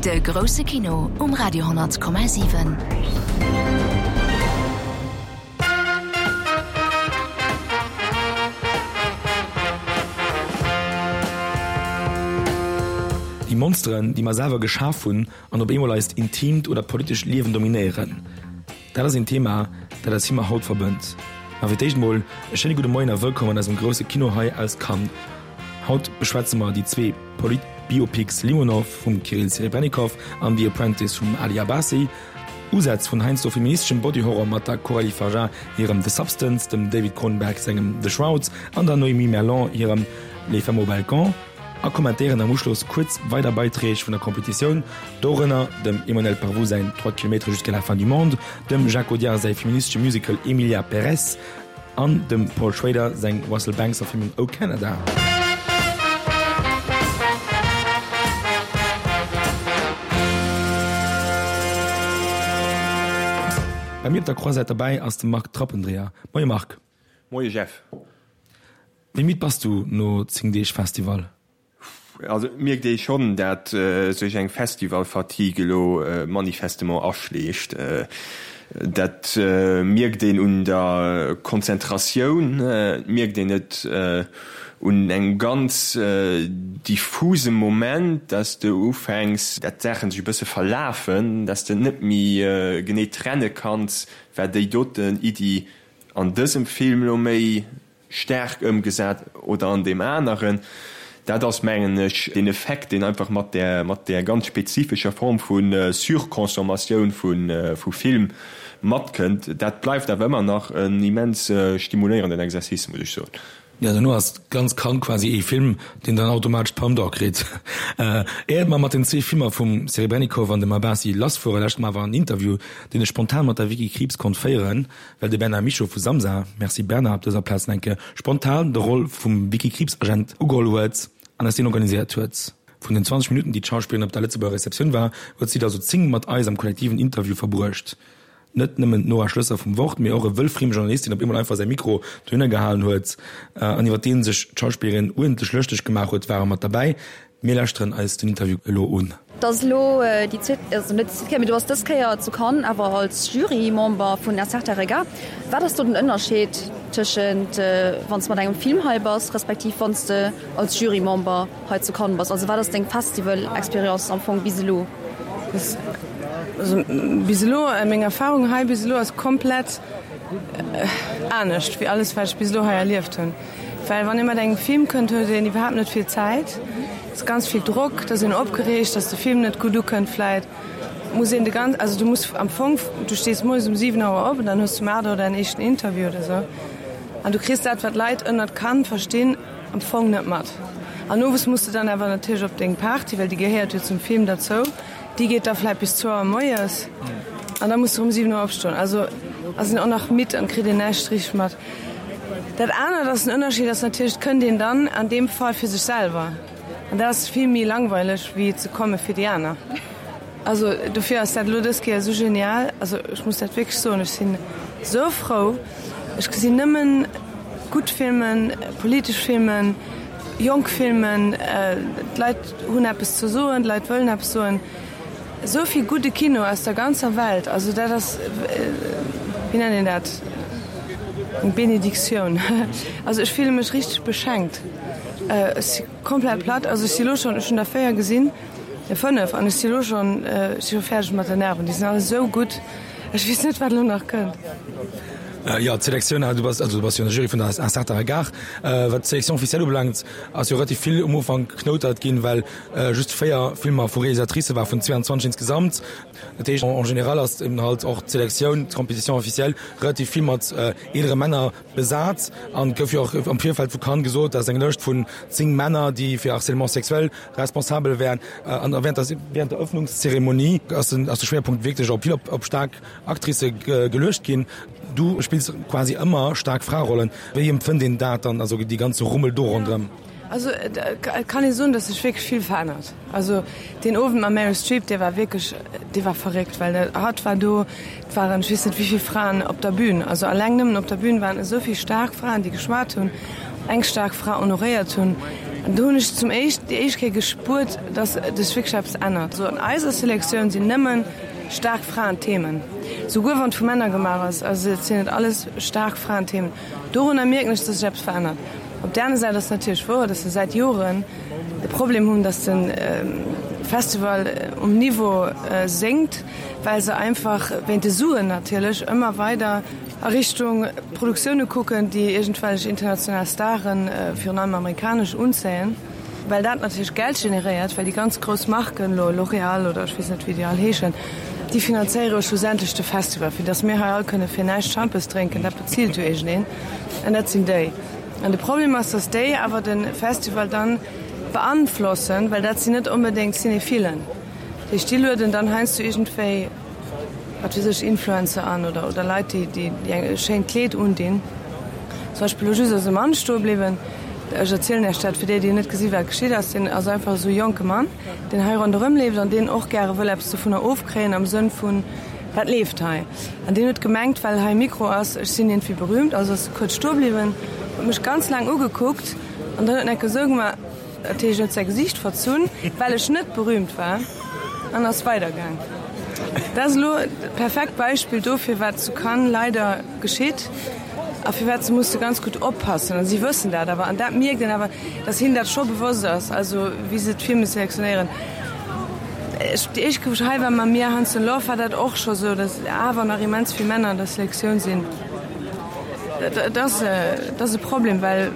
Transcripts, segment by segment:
De grousse Kino um Radio 10,7. Déi Monsteren, déi mer selwer geschaf hunn an op eemol eist intiimt oder politescht Liewen dominéieren. Dat ass een Thema, dat eis Filmer haut verbënnt. Ma fir d'éischt mol e schéine gudde Moien a wëllkomm an eisem grousse Kino hei aus Cannes. Haut beschwätze mer déi zwee Polit-Biopics Limonov vum Kirill Serebrennikov an The Apprentice vum Ali Abbasi. Usätz vun heiansdo feministeschem Body-Horror mat der Coralie Fargeat hirem The Substance, dem David Cronenberg sengem The Shrouds an der Noémie Merlant hirem Les femmes au balcon. A kommentéieren am Uschloss kuerz weider Beiträg vun der Competitioun, dorënner dem Emmanuel Parvus säin Trois kilomètres jusqu'à la fin du monde, dem Jacques Audiard säi feministesche Musical Emilia Pérez an dem Paul Schrader seng Russell Banks Verfilmung O Canada. Bei mir op der Croisette derbäi ass de Marc Trappendreher. Moie Marc. Moie Jeff. Wéi midd bass du no 10 Deeg Festival? Also et mierkt ee schonn, dat sech eng Festival-Fatigue elo manifestement aschleecht. Dat mierkt een un der Konzentratioun, et mierkt een et un engem ganz diffuse Moment, dass de ufänks, dat d'Saachen sech e bësse verlafen, dass de net méi genee trenne kanns, war déi doten Iddi an dësem Film elo méi staark ëmgesat oder an deem aneren. Dat ass, mengen ech, deen Effekt, deen einfach mat där, mat där ganz spezifescher Form vu Surconsommatioun vu Film matkënnt. Dat bleift awer ëmmer nach en immens stimuléierenden Exercice, muss ech soen. Jo, dono ass ganz Cannes quasi ee Film, deen dann automatesch d'Palme d'Or kritt. Éiert mer mat den zwee Filmer vum Serebrennikov an dem Abbasi lassfueren, lauschtert mer awer en Interview, deen ech spontan mat der Vicky Krieps konnt féieren. Well de Bernard Michaux vu Samsa, merci Bernard op dëser Plaz nach eng Kéier, spontan de Roll vum Vicky Krieps-Agent ugeholl huet an eis deen organiséiert huet. Vun den 20 Minutten, déi d'Schauspillerin op der Lëtzebuerger Receptioun war, huet si der sou 10 mat eis am kollektiven Interview verbruecht. Net nëmmen d'Nora Schloesser vum Wort, mee och e wëllfrieme Journalist, deen op eemol einfach säi Mikro dohinner gehalen huet an iwwer dee sech d'Schauspillerin uerdentlech lëschteg gemaach huet, ware mat derbäi. Mir lauschteren eis den Interview elo un. Et ass elo déi zweet, also net déi zweet Kéier, mee du bass dës Kéier zu Cannes, awer als Jurymember vun Un certain regard. Wat ass do den Ënnerscheed tëschent wann s de mat engem Film hei bass, respektiv wann s de als Jurymember hei zu Cannes bass? Also wat ass deng Festival-Experience am Fong bis elo? Also bis elo, meng Erfarung hei bis elo ass komplett anescht wéi alles wat ech bis elo hei erlieft hunn. Well wann ee mat engem Film kënnt, huet een iwwerhaapt net vill Zäit. Et ass ganz vill Drock, et ass een opgereegt, datt de Film net gutt ukënnt vläit. Muss een de ganz, also du muss am Fong, du stees moies um 7 Auer op an dann hues du um 8 Auer däin éischten Interview oder sou. An du kriss dat, wat d'Leit ënnert Cannes verstinn, am Fong net mat. An owes muss de dann awer natierlech op deng Party, well déi gehéiert jo zum Film derzou. Déi geet da vläit bis zwou Auer moies an da muss de erëm 7 Auer opstoen. Also ass een och nach midd an kritt een näischt richteg mat. Dat anert ass, den Ënnerscheed ass natierlech, et kënnt een dann an deem Fall fir sech selwer an dat ass vill méi langweileg wéi ze komme fir déi aner. Also dofir ass dat elo dës Kéier esou genial. Also ech muss dat wierklech soen, ech sinn esou frou, ech gesinn nëmmen gutt Filmen, politesch Filmen, jonk Filmen, d'Leit hunn eppes ze soen, d'Leit wëllen eppes soen. Esou vill gudde Kino aus der ganzer Welt, also dat ass, wéi nennt een dat, eng Benediktioun. Also ech fille mech richteg beschenkt. Ech si komplett platt, also ech si elo schonn, ech hunn der 4 gesinn, ne 5, an ech si elo schonn, ech si scho fäerdeg mat den Nerven. Déi sinn all esou gutt, ech weess net wat elo nach kënnt. Jo, d'Selektioun, du bass, also du bass jo an der Jury vun der Un certain regard. Wat d'Sélection officielle ubelaangt, ass jo relativ vill um Ufank geknoutert ginn, well just 4 Filmer vu Realisatricë war vun 22 insgesamt. Dat heescht, en général ass eben halt och d'Selektioun, d'Compétition officielle relativ vill mat eelere Männer besat. An et gouf jo och am Virfeld vu Cannes gesot, dass eng Lëscht vun 10 Männer, déi fir Harcèlement sexuel responsabel wären. An während der, während der Öffnungszeremonie ass den, ass de Schwéierpunkt wierklech op vill op, op staark Actricë geluecht ginn. Du spills quasi ëmmer staark Fraerollen. Wéi empfënnt een dat dann, also dee ganze Rummel do ronderëm? Also et kann ee soen, datt sech wierklech vill verännert. Also deen Owend mam Meryl Streep, dee war wierklech, dee war verréckt, well hatt war do, et waren ech weess net wéi vill Fraen op der Bühn. Also alleng nëmmen op der Bühn waren esou vill staark Fraen, déi geschwat hunn, eng staark Fra honoréiert hunn. An do hunn ech zum éischt, déi éischt Kéier gespuert, dass sech wierklech eppes ännert. Also an eiser Selektioun sinn nëmme staark Fraenthemen, souguer wann et vu Männer gemaach ass, also et sinn et alles staark Fraenthemen. Dorunner mierken ech, dass sech eppes verännert. Op där aner Säit ass et natierlech wouer, dass se säit Joren de Problem hunn, dass de Festival um Niveau sénkt, well se einfach wéint de Suen natierlech ëmmer weider a Richtung Produktioune kucken, déi iergendwellech international Staren, virun allem amerikanesch, unzéien, well dat natierlech Geld generéiert, well déi ganz grouss Marken, elo L'Oréal oder ech weess net wéi déi all heeschen, déi finanzéiere jo schlussendlech de Festival, fir datt mir hei all kënne fir näischt Schampes drénken, dat bezilt jo iergendeen, an dat sinn déi. An de Problem ass, datt déi awer de Festival dann beanflossen, well dat sinn net onbedéngt Cinéphilen. Dat heescht, déi lueden dann heiansdo iergendwéi, wat weess ech, Influencer an oder, oder Leit, déi, déi, déi eng e schéint Kleed undinn. Zum Beispill elo just ass e Mann stoe bliwwen, ech erzielen Iech dat fir déi, déi net gesi wat geschitt ass, deen ass einfach esou e jonke Mann, deen hei ronderëm leeft an deen och gäre wëll eppes dovunner ofkréien am Sënn vun, Wat leeft hei? An deen huet gemengt, well hei e Mikro ass, ech sinn iergendwéi berühmt. Also ass e kuerz stoe bliwwen, huet mech ganz laang ugekuckt an dann huet en enke esou gemaach, dat heescht, en huet säi Gesiicht verzunn, well ech net berühmt war, an ass weidergaang. Dat ass elo e perfekt Beispill dofir, wat zu Cannes leider geschitt a firwat se musse ganz gutt oppassen. A si wëssen dat awer an dat mierkt een awer, dass hinnen dat scho bewosst ass, also wéi se d'Filme selektionéieren. Ech, déi éischt Kéier wou ech hei war mam Mia Hansen-Løve war dat och scho sou, dass awer nach immens vill Männer an der Selektioun sinn. Dat ass, dat ass e Problem, well,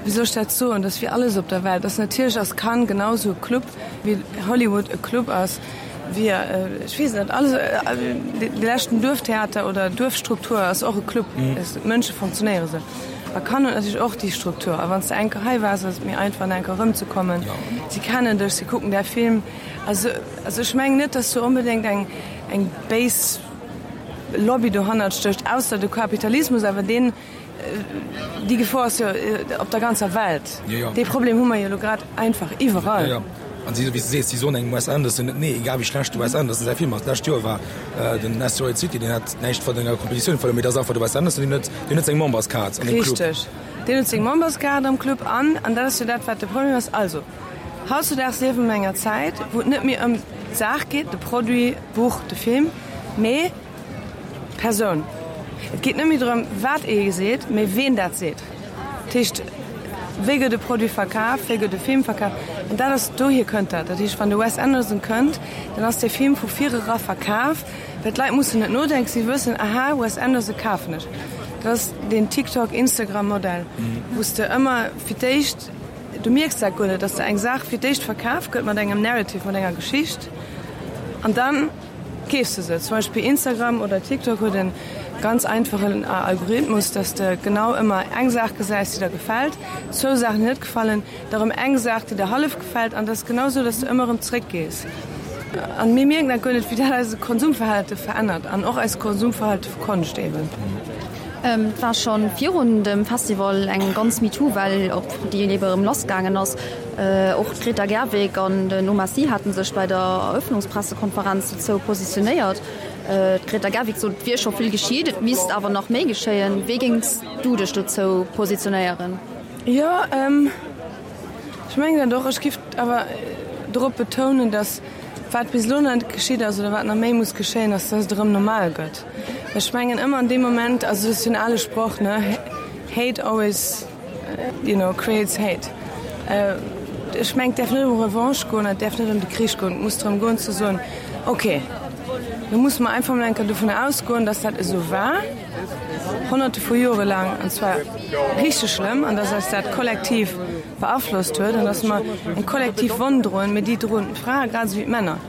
wéi soll ech dat soen, dat ass wéi alles op der Welt, dass natierlech ass Cannes genau sou e Club wéi Hollywood e Club ass, wéi, ech weess net, alles, de leschten Duerftheater oder Duerfstruktur ass och e Club, d'Mënsche funktionéiere sou. A Cannes huet natierlech och déi Struktur. A wann s de eng Kéier hei waars, ass et méi einfach, nach eng Kéier erëmzekommen. Si kennen dech, si kucken däi Film. Also, also ech mengen net, dass do onbedéngt eng, eng béis Lobby dohannert stécht, ausser de Kapitalismus. Awer deen, déi Gefor ass jo op der ganzer Welt. Dee Problem hu mer jo elo grad einfach iwwerall. An si, wéi s de sees, si soen engem Wes Anderson net nee, egal wéi schlecht de Wes Anderson säi Film ass. D'lescht Joer war den Asteroid City, deen hat näischt vun enger Kompetitioun verluer, mee dat ass einfach de Wes Anderson, deen huet, deen huet seng Memberskaart an deem Club. Richteg, deen huet seng Memberskaart am Club an, an dat ass jo dat, wat de Problem ass. Also, hautzudaags liewe mer an enger Zäit, wou et net méi ëm d'Saach geet, de Produit, d'Buch, de Film, mee d'Persoun. Et geet net méi drëm, wat ee seet, mee ween dat seet. Dat heescht, wéi gëtt e Produit verkaf, wéi gëtt e Film verkaf? An dat ass, dohier kënnt dat. Dat heescht, wann de Wes Anderson kënnt, dann ass dee Film vu virera verkaf, well d'Leit mussen net nodenken, si wëssen, aha, Wes Anderson kafen ech. Dat ass deen TikTok, Instagram-Modell, wou s de ëmmer fir d'éischt, du mierks dat guer net, dass de eng Saach fir d'éischt verkaf gëtt mat engem Narrative, mat enger Geschicht an dann, Keefs de se? Zum Beispill Instagram oder TikTok huet en ganz einfachen Algorithmus, dass de genau ëmmer eng Saach gesäis, déi der gefält, zwou Saachen, déi net gefallen, da rëm eng Saach, déi der hallef gefält an dat ass genau sou, dass de ëmmer rëm zréck gees. An mir mierken dat guer net, wéi dat eise Konsumverhalte verännert an och eist Konsumverhalte vu Konscht eben. Et war scho virun dem Festival eng ganz MeToo-Well, op déi ebe erëm lassgaangen ass. Och d'Greta Gerwig an den Omar Sy hate sech bei der Eröffnungspressekonferenz dozou positionéiert. D'Greta Gerwig sot, et wier scho vill geschitt, et misst awer nach méi geschéien. Wéi géings du dech dozou positionéieren? Jo, ech mengen dat och. Ech giff awer dorop betounen, datt wat bis elo nach net geschitt ass oder wat nach méi muss geschéien, ass, datt et erëm normal gëtt. Ech mengen ëmmer an deem Moment, also dat ass jo en ale Sproch, ne, hate always, you know, creates hate. Ech mengen, et däerf net ëm Revanche goen, et däerf net ëm de Krich goen, et muss drëm goen ze soen, okay, lo musse mer einfach mol eng Kéier dovun ausgoen, datt dat esou war, honnerte vu Jore laang, an zwar richteg schlëmm, an datt eis dat kollektiv beaflosst huet an datt mer eng kollektiv Wonn droen, mee déi droen d'Frae grad esou wéi d'Männer.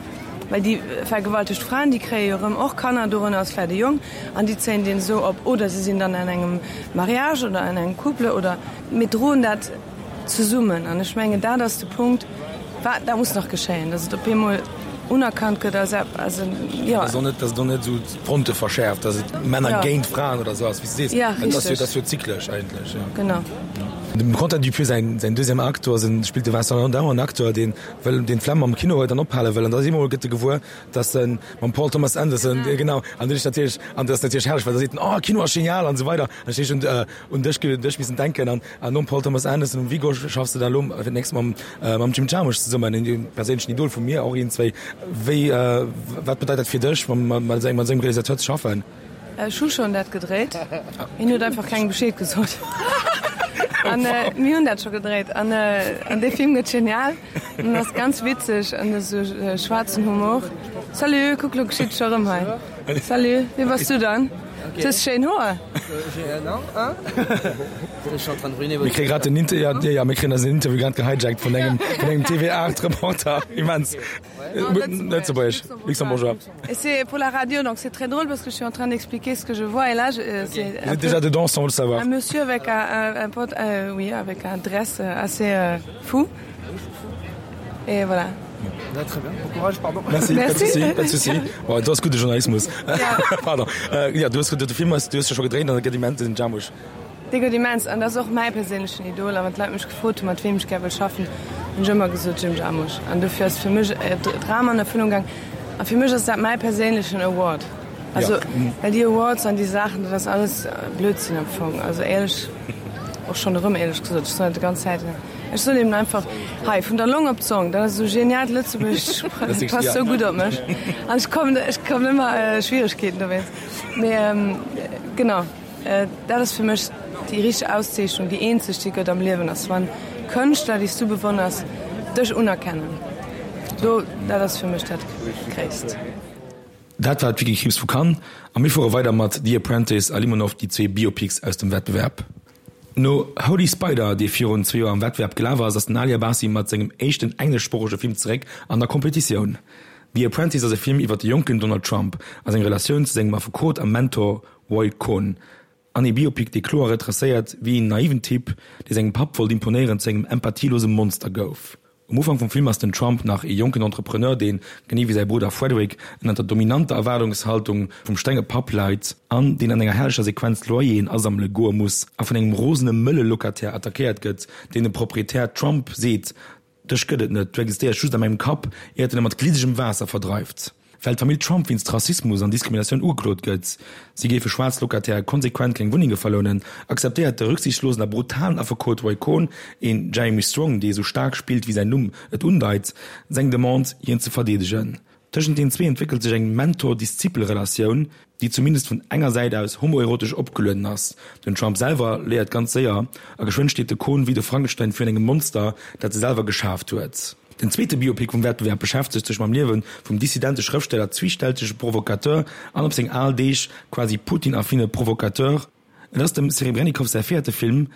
Well déi vergewaltegt Fraen, déi kréie jo erëm och Kanner, dorënner ass vläicht e Jong, an déi zéien deen esou op. Oder se sinn dann an engem Mariage oder an engem Couple oder mir droen dat zesummen. An ech mengen, dat ass de Punkt, wat, dat muss nach geschéien, datt et op eemol unerkannt gëtt als ep, als en, jo. Datt et och net esou d'Fronte verschäerft, datt et Männer géint Fraen oder esou ass, wéi s de sees. Ja, richteg. Dat ass jo zyklesch eigentlech, jo. Genau. Dem Quentin Dupieux säin säin deuxième Acte, do ass en, spillt de Vincent Lindon en Acteur, deen wëll, deen d'Flemm am Kino huet an ophale wëll. An da eemol gëtt e gewuer, dass en mam Paul Thomas Anderson, genau, an dunn ech natierlech, an dat ass natierlech herrlech, well da seet en, oh Kino ass genial an esou weider. An ech hunn un dech un dech missen denken an an nom Paul Thomas Anderson, um Viggo schaffs de da elo fir d'nächst mam mam Jim Jarmusch zesummen, en perséinlechen Idol vu mir och iergendzwéi. Wéi, wat bedeit dat fir dech, mam mat esou engem Realisateur ze schaffen? Ech hu schonn dat gedréit, hien huet einfach kengem Bescheed gesot. An mir hunn dat scho gedréit an an dee Film gëtt genial an ass ganz witzeg an esou schwaarzen Humor. Salut, kuck lo geschitt scho rëm hei. Salut, wie bass du dann? Du hues schéin Hoer. Mir kréie grad den Inter ja, ja, mir kréien eisen Interview grad gehijackt vun engem vun engem TV8 Reporter. Immens. Lëtzebuergesch, Luxembourgeois. Et c'est pour la radio, donc c'est très drôle parce que je suis en train d'expliquer ce que je vois et là je, euh, c'est Vous êtes déjà dedans sans le savoir. Un monsieur avec un, un, un pote, euh, oui, avec un dress euh, assez euh, fou. Et voilà. Ja, très bien. Bon courage, pardon. Merci, Merci. Pas de souci, pas de souci. Bon, du hast gute Journalismus. Ja. pardon. Äh, ja, du hast de Film hast, du hast ja schon gedreht, dann gëtt immens den Jarmusch. Dee gëtt immens an dat ass och mäi perséinlechen Idol. A wann d'Leit mech gefrot hunn, mat weem ech gär wëll schaffen, hunn ech ëmmer gesot Jim Jarmusch. An dofir ass fir mech e Dram an Erfüllung gaang. A fir mech ass dat mäi perséinlechen Award. Also, well déi Awards an déi Saachen, dat ass alles Blödsinn am Fong. Also éierlech, och schonn erëm éierlech gesot, ech soen dat déi ganz Zäit. Ech soen eben einfach, hei, vun der Long op d'Zong, dat ass esou geniaalt Lëtzebuergesch, dat passt esou gutt op mech. An ech kommen, ech kommen ëmmer Schwieregkeeten dowéinst. Mee genau. Dat ass fir mech déi richteg Auszeechnung, déi eenzeg, déi gëtt am Liewen, ass wann Kënschtler, déi s du bewonners, dech unerkennen. Do, dat ass fir mech dat Gréisst. Dat war d'Vicky Krieps vu Cannes a mir fuere weider mat The Apprentice a Limonov, déi zwee Biopics aus dem Wettbewerb. No Holy Spider, dee virun zwee Joer am Wettbewerb gelaf ass, ass den Ali Abbasi mat sengem éischten engleschsproochege Film zeréck an der Competitioun. The Apprentice ass e Film iwwer de jonken Donald Trump a seng Relatioun zu sengem Affekot a Mentor Roy Cohn, an ee Biopic, dee kloer retracéiert, wéi een naiven Typ, dee sengem Papp wollt imponéieren, zu engem empathielose Monster gouf. Um Ufank vum Film ass den Trump nach ee jonken Entrepreneur, deen, genee wéi säi Brudder Frederick, ënnert der dominanter Erwaardungshaltung vum strenge Papp leit an deen an enger herrlecher Sequenz Loyeren asammele goe muss a vun engem rosene mëlle Locataire attackéiert gëtt, deen dem Proprietär Trump seet, Dech gëtt et net, du existéiers just a mengem Kapp, iert en e mat gliddegem Waasser verdreift. Well d'Famill Trump wéinst Rassismus an Diskriminatioun ugeklot gëtt, si géife schwaarz Locataire konsequent keng Wunnenge verlounen, akzeptéiert de rücksichtslosen a brutalen Affekot Roy Cohn, een Jeremy Strong, dee esou staark spillt wéi säin Numm et undeit, seng Demande, hien ze verdeedegen. Tëschent den zwee entwéckelt sech eng Mentor-Diszipel-Relatioun, déi zumindest vun enger Säit aus homoerotesch opgelueden ass. Den Trump selwer léiert ganz séier, a geschwënn steet de Cohn wéi de Frankenstein virun engem Monster, dat e selwer geschaaft huet. Den zweete Biopic vum Wettbewerb beschäftegt sech mam Liewe vum dissidente Schrëftsteller, zwiichstältege Provocateur an op seng al Deeg quasi Putin-affine Provocateur. Et ass dem Serebrennikov säi véierte Film,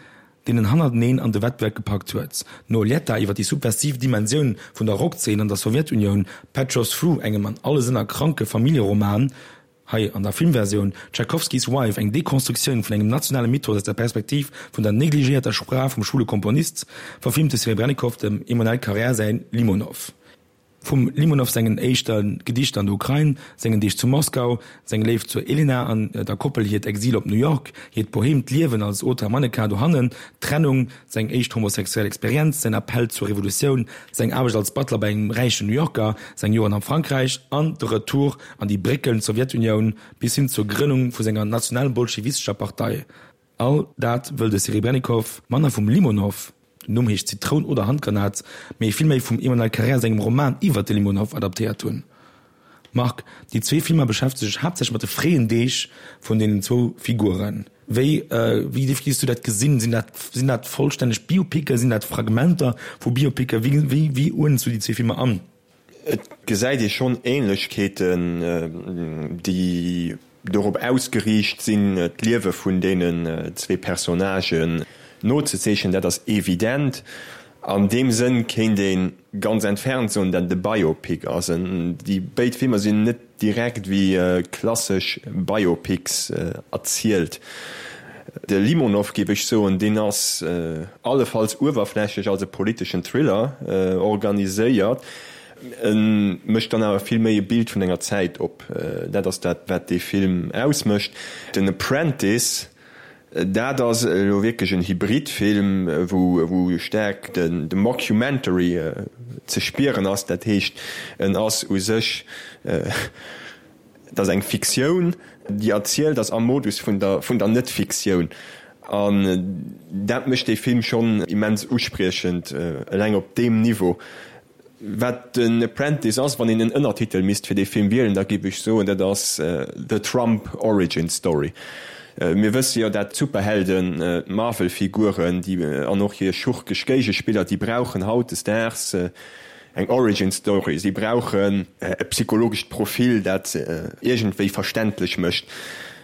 deen en hannerteneen an de Wettbewerb gepackt huet. No Letta iwwer déi subversiv Dimensioun vun der Rockzeen an der Sowjetunioun, Petrov's Flu, engem an alle Sënner kranke Familljeroman, hei an der Filmversioun, Tchaikovsky's Wife, eng Dekonstruktioun vun engem nationale Mythos aus der Perspektiv vun der negligéierter Sprach vum schwule Komponist, verfilmt de Serebrennikov dem Emmanuel Carrère säin Limonov. Vum Limonov sengen éischte Gedichter an der Ukrain, sengen Deeg zu Moskau, seng Léift zur Elena an der Koppel hiert Exil op New York, hiert boheemt Liewen als Auteur-Mannequin dohannen, d'Trennung, seng éischt homosexuell Experienz, säin Appell zur Revolutioun, seng Aarbecht als Butler bei engem räichen New Yorker, seng Joren am Frankräich an de Retour an déi bréckelnd Sowjetunioun bis hin zur Grënnung vu senger nationalbolschewistescher Partei. All dat wëll de Serebrennikov manner vum Limonov, den Numm heescht Zitroun oder Handgranat, mee vill méi vum Emmanuel Carrère sengem Roman iwwert de Limonov adaptéiert hunn. Marc, déi zwee Filmer beschäftege sech haaptsächlech mat de fréien Deeg vun deenen zwou Figuren. Wéi wéi géifs du dat gesinn? Sinn dat sinn dat vollstänneg Biopicken? Sinn dat Fragmenter vu Biopicken? Wéi wéi wéi uerdens du déi zwee Filmer an? Et gesäit ee schonn Ähnlechkeeten, déi dorop ausgeriicht sinn, d'Liewe vun deenen zwee Personnagen nozezeechnen. Dat ass evident. An deem Sënn kéint ee ganz entfernt soen, datt et e Biopic ass. Déi béid Filmer sinn net direkt wéi klassesch Biopics erzielt. De Limonov, géif ech soen, deen ass allefalls uewerflächlech als e politeschen Thriller organiséiert. E mécht dann awer vill méi e Bild vun enger Zäit op. Dat ass dat, wat dee Film ausmécht. Den Apprentice. Dat ass elo wierklech en Hybridfilm, wou staark de Mockumentary ze spieren ass. Dat heescht, en ass u sech, et ass eng Fiktioun, déi erzielt ass am Modus vun der Net-Fiktioun. An dat mécht dee Film schonn immens uspriechend, eleng op deem Niveau. Wat den Apprentice ass, wann een en Ënnertitel misst fir dee Film wielen, da géif ech soen, dat ass The Trump Origin Story. Mir wësse jo, dat d'Superhelden, d'Marvel-Figuren, déi an och hir schurkesch Géigespiller, déi brauchen hautdesdaags eng Origin Story. Si brauchen e psychologescht Profil, dat se iergendwéi verständlech mécht.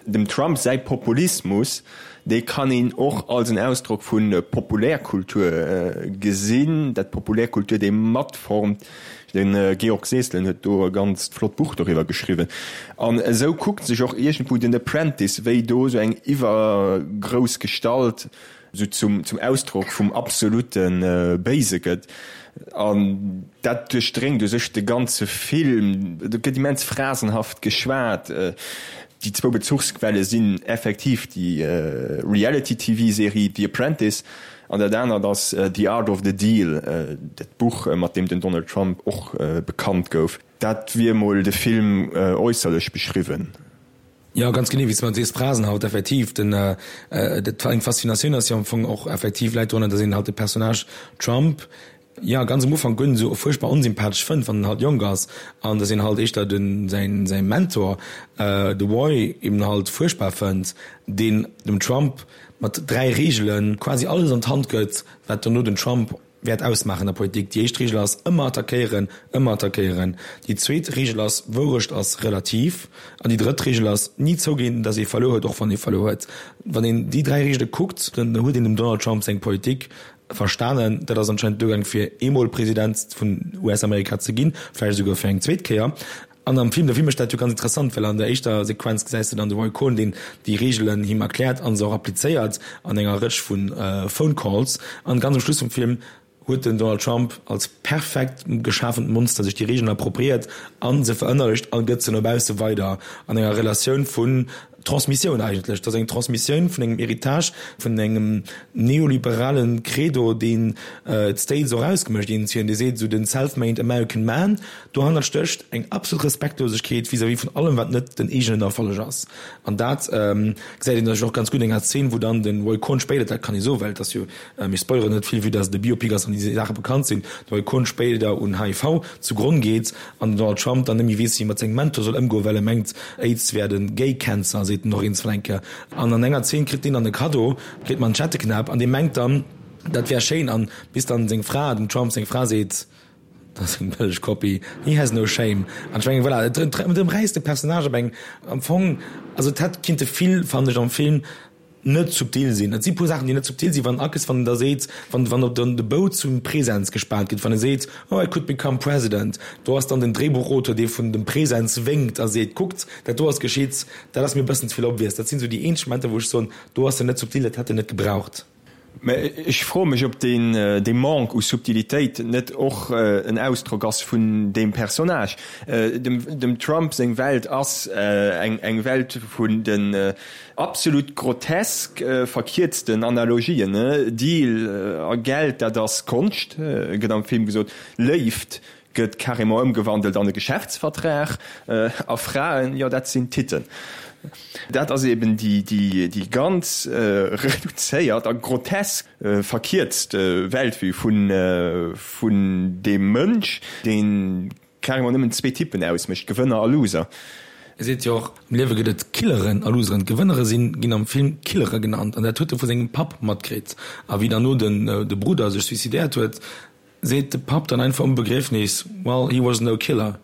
Dem Trump säi Populismus, dee kann een och als en Ausdrock vu Populärkultur gesinn, dat d'Populärkultur dee matformt. De Georg Seselen huet do e ganzt flott Buch doriwwer geschriwwen. An esou kuckt sech och iergendwou den Apprentice, wéi do esou eng iwwergrouss Gestalt esou zum zum Ausdrock vum absolute Béise gëtt. An dat duerchdréngt u sech de ganze Film. Do gëtt immens phrasenhaft geschwat. Déi zwou Bezuchsquelle sinn effektiv déi Reality-TV-Serie The Apprentice an dat anert ass The Art of the Deal, dat Buch, mat deem den Donald Trump och bekannt gouf. Dat wier mol de Film äusserlech beschriwwen. Jo, ganz genee, wéi s de sees, Phrasenhaut, effektiv. Den, dat eng Faszinatioun ass jo am Fong och effektiv, läit dorunner, datt een halt de Personnage Trump, jo, ganz am Ufank guer net esou fuerchtbar onsympathesch fënnt, wann en halt jonk ass, an datt een halt éischter den, säin, säi Mentor, de Roy, eben halt fuerchtbar fënnt, deen dem Trump mat 3 Reegele quasi alles an d'Hand gëtt, wat dono den Trump wäert ausmaachen an der Politik. Déi éischt Reegel ass, ëmmer attackéieren, ëmmer attackéieren. Déi zweet Reegel ass, Wourecht ass relativ. An déi drëtt Reegel ass, ni zouginn, datt ee verluer huet, och wann ee verluer huet. Wann een déi 3 Reegele kuckt, dann huet een dem Donald Trump seng Politik verstanen. Dat ass anscheinend duergaang fir eemol President vun US-Amerika ze ginn, vläicht esouguer fir eng zweet Kéier. An am Film, de Film mécht dat jo ganz interessant, well an der éischter Sequenz gesäis de dann de Roy Cohn, deen déi Reegelen him erkläert an se och applizéiert an enger Rëtsch vu Phone Calls. An ganz um Schluss vum Film huet den Donald Trump als perfekt geschafent Monster sech déi Reegelen appropriéiert a se verënnerlecht a gëtt se no bausse weider an enger Relatioun vun Transmissioun eigentlech. Dat ass eng Transmissioun vun engem Héritage, vun engem neoliberalen Credo, deen d'States och ausgemécht, deen hien, dee seet esou den self-made American man. Dohannert stécht eng absolut Respektlosegkeet vis-à-vis vun allem, wat net den eegenen Erfolleg ass. An dat gesäit een och ganz gutt an enger Zeen, wou dann de Roy Cohn spéider, dat kann ee soen, well et ass jo, mir spoileren net vill, vue dass et e Biopic ass an déi Saache bekannt sinn, de Roy Cohn spéider un HIV zu Gronn geet an den Donald Trump dann net méi weess, wéi e mat sengem Mentor soll ëmgoen, well e mengt, Aids wär de Gay Cancer, seet en och eens vun eng Kéier. An an enger Zeen kritt deen dann e Kaddo, kritt Manschetteknäpp an dee mengt dann, dat wär schéin an bis dann seng Fra, dem Trump seng Fra seet, Dat ass eng bëlleg Kopie. He has no shame. An ech mengen, voilà, et ëmräisst de Personnage op eng, am Fong, also et hätt kinnte vill, fannen ech, am Film net subtil sinn. Et si puer Saachen, déi net subtil sinn, wann Akes, wann en da seet, wann, wann op den de Bou zum Präsens gespaant gëtt, wann e seet, oh, I could become president, do ass dann den Dréibuchauteur, dee vun dem Präsens wénkt a seet, kuckt, dat do ass geschitt. Dat ass mir e bëssen ze vill obvious. Dat sinn esou déi eenzeg Momenter, wou ech soen, do ass en net subtil, dat hätt en net gebraucht. Mä ech froe mech, ob deen, dee Manque u Subtilitéit net och en Ausdrock ass vun deem Personnage. Dem, dem Trump seng Welt ass eng, eng Welt vun den absolut grotesk verkierzten Analogien, Deal a Geld, dat ass Konscht, gëtt am Film gesot, Léift Gëtt carrément ëmgewandelt an e Geschäftsvertrag. A Fraen, jo dat sinn Titten. Dat ass eben déi ganz reduzéiert a grotesk verkierzt Weltvue vun deem Mënsch, dee carrément nëmmen zwee Typen ausmécht, Gewënner a Loser. E seet jo och, am Liewe gëtt et Killeren a Loseren. D'Gewënnere sinn, ginn am Film Killere genannt an dat huet e vu sengem Papp matkritt. A wéi dann no de Brudder sech suicidéiert huet, Seet de Papp dann einfach um Begriefnis, well he was no killer.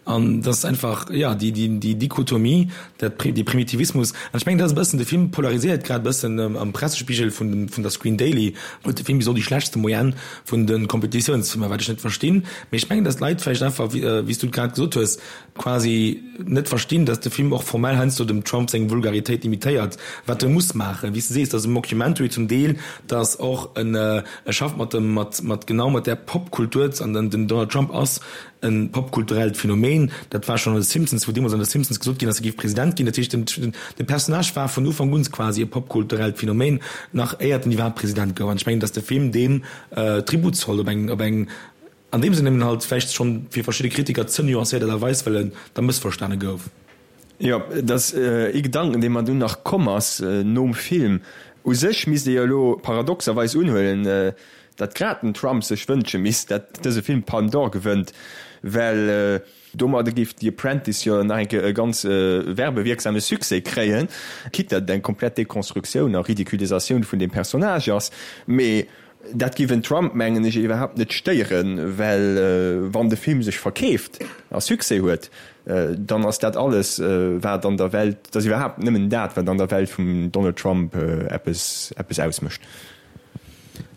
An dat ass einfach, jo, déi, déi, déi Dichotomie, dat, dee Primitivismus. An ech mengen, dat ass e bëssen, de Film polariséiert grad e bëssen am Pressespigel vun dem, vun der Screen Daily huet de Film bis elo déi schlechtste Moyenne vun de Competitiounsfilmer, wat ech net verstinn. Mee ech mengen, datt d'Leit vläicht einfach, wéi s du et grad gesot hues, quasi net verstinn, dass de Film och formell heiansdo dem Trump seng Vulgaritéit imitéiert, wat e muss maachen. Wéi s de sees, dat ass e Mockumentary zum Deel, dat ass och en, e schafft mat dem, mat, mat genau mat där Popkultur, an den Donald Trump ass e popkulturellt Phänomen. Phänomen, dat war schonn an de Simpsons, wou deemools an de Simpsons gesot ginn ass, e géif President ginn. Dat heescht, den de Personnage war vun Ufank un quasi e popkulturellt Phänomen, nach éiert en iwwerhaapt President gouf. An ech mengen, datt de Film deem Tribut zollt op eng op eng an deem Sënn eben halt vläicht schonn fir verschidde Kritiker ze nuancéiert Aart a Weis, well en da mëssverstane gouf. Jo, et ass ee Gedanken, dee mer dunn nach komm ass nom Film. U sech misst ee jo elo paradoxerweis unhuelen, datt grad den Trump sech wënsche misst, datt dëse Film d'Palme d'Or gewënnt, well domadde géif The Apprentice jo nach eng Kéier e ganz werbewierksame Succès kréien, quitte datt et eng komplett Dekonstruktioun a Ridiculisatioun vun deem Personnage ass. Mee Dat géif en Trump, mengen ech, iwwerhaapt net stéieren, well wann de Film sech verkeeft a Succès huet, dann ass dat alles, wat an der Welt, dat ass iwwerhaapt nëmmen dat, wat an der Welt vum Donald Trump eppes, eppes ausmécht.